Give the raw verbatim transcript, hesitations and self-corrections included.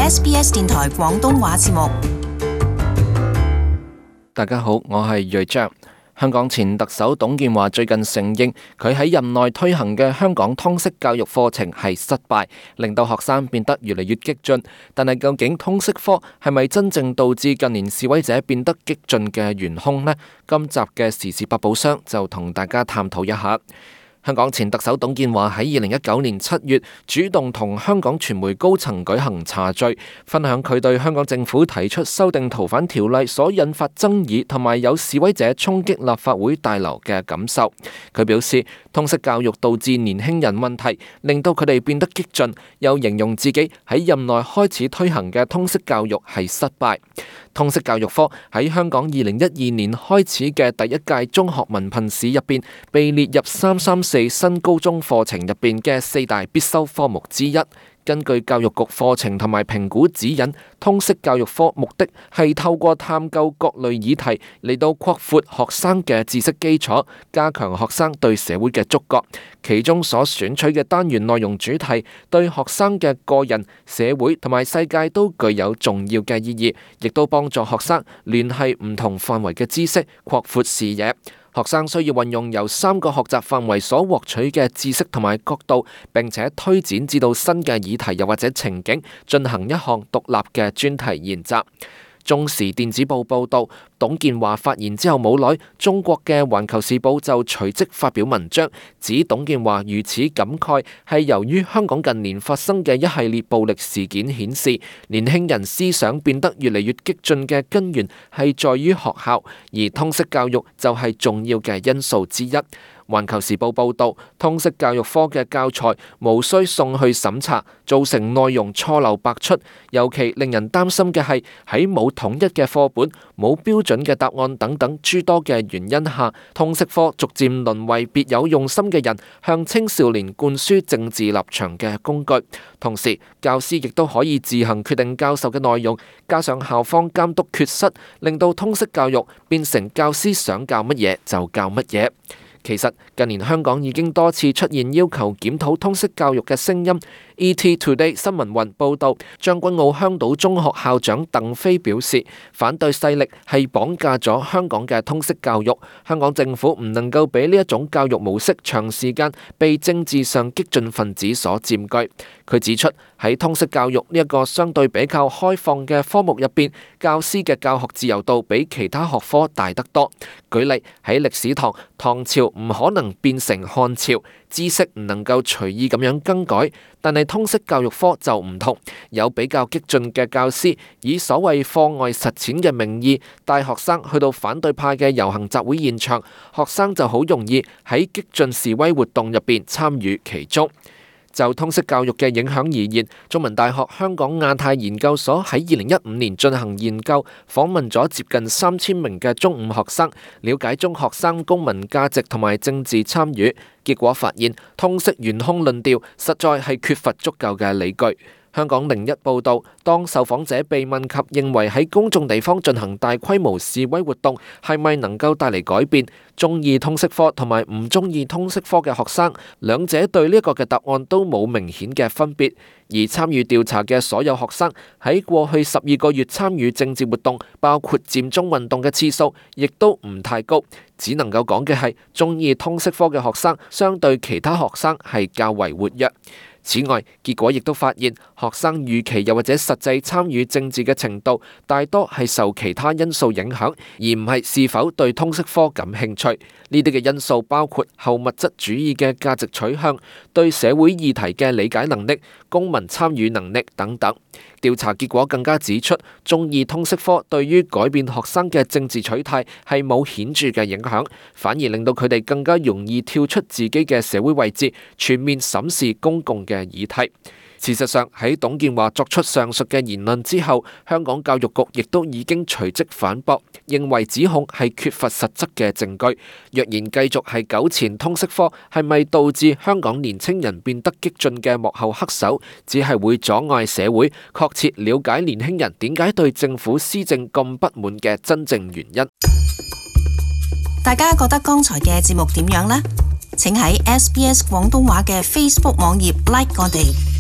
S B S 電台廣東話節目。大家好，我係瑞章。香港前特首董建華最近承認，佢喺任內推行嘅香港通識教育課程係失敗，令到學生變得越嚟越激進。但係究竟通識科係咪真正導致近年示威者變得激進嘅元兇呢？今集嘅時事百寶箱就同大家探討一下。香港前特首董建華喺二零一九年七月主動同香港傳媒高層舉行茶敘，分享佢對香港政府提出修訂逃犯條例所引發爭議同埋有示威者衝擊立法會大樓嘅感受。佢表示，通識教育導致年輕人問題，令到佢哋變得激進，又形容自己喺任內開始推行嘅通識教育係失敗。通識教育科喺香港二零一二年開始嘅第一屆中學文憑試入邊，被列入三三四新高中課程入邊嘅四大必修科目之一。根據教育局課程同埋評估指引，通識教育科目的係透過探究各類議題嚟到擴闊學生嘅知識基礎，加強學生對社會嘅觸覺。其中所選取嘅單元內容主題，對學生嘅個人、社會同埋世界都具有重要嘅意義，亦都幫助學生聯繫唔同範圍嘅知識，擴闊視野。學生需要運用由三個學習範圍所獲取嘅知識同埋角度，並且推展至到新嘅議題又或者情景，進行一項獨立嘅專題研習。中時電子報報道，董建華發言之後冇耐，中國嘅環球時報就隨即發表文章，指董建華如此感慨係由於香港近年發生嘅一系列暴力事件顯示，年輕人思想變得越嚟越激進嘅根源係在於學校，而通識教育就係重要嘅因素之一。環球時報報道，通識教育科嘅教材無需送去審查，造成內容錯漏百出。尤其令人擔心嘅係喺冇統一嘅課本、冇標準嘅答案等等諸多嘅原因下，通識科逐漸淪為別有用心嘅人向青少年灌輸政治立場嘅工具。同時，教師亦都可以自行決定教授嘅內容，加上校方監督缺失，令到通識教育變成教師想教乜嘢就教乜嘢。其實近年香港已經多次出現要求檢討通識教育嘅聲音。E T Today 新聞雲報道，將軍澳香島中學校長鄧飛表示，反對勢力係綁架咗香港嘅通識教育。香港政府唔能夠俾呢一種教育模式長時間被政治上激進分子所佔據。佢指出，喺通識教育呢一個相對比較開放嘅科目入邊，教師嘅教學自由度比其他學科大得多。舉例喺歷史堂，唐朝唔可能變成漢朝，知識唔能夠隨意咁樣更改，但係通識教育科就唔同，有比較激進嘅教師以所謂課外實踐嘅名義帶學生去到反對派嘅遊行集會現場，學生就好容易喺激進示威活動入邊參與其中。就通識教育嘅影響而言，中文大學香港亞太研究所喺二零一五年進行研究，訪問咗接近三千名嘅中五學生，了解中學生公民價值同埋政治參與。結果發現，通識元兇論調實在係缺乏足夠嘅理據。香港零一報導，當受訪者被問及認為喺公眾地方進行大規模示威活動係咪能夠帶嚟改變，中意通識科同埋唔中意通識科嘅學生，兩者對呢一個嘅答案都冇明顯嘅分別。而參與調查嘅所有學生喺過去十二個月參與政治活動，包括佔中運動嘅次數，亦都唔太高。只能夠講嘅係，中意通識科嘅學生相對其他學生係較為活躍。此外，結果亦都發現，學生預期又或者實際參與政治嘅程度，大多係受其他因素影響，而唔係是否對通識科感興趣。呢啲嘅因素包括後物質主義嘅價值取向、對社會議題嘅理解能力、公民參與能力等等。調查結果更加指出，中意通識科對於改變學生嘅政治取態係冇顯著嘅影響，反而令到佢哋更加容易跳出自己嘅社會位置，全面審視公共嘅議題。事實上，喺董建華作出上述嘅言論之後，香港教育局亦都已經隨即反駁，認為指控係缺乏實質嘅證據。若然繼續係糾纏通識科係咪導致香港年青人變得激進嘅幕後黑手，只係會阻礙社會確切了解年輕人點解對政府施政咁不滿嘅真正原因。大家覺得剛才嘅節目點樣呢？請喺 S B S 廣東話嘅 Facebook 網頁 like 我哋。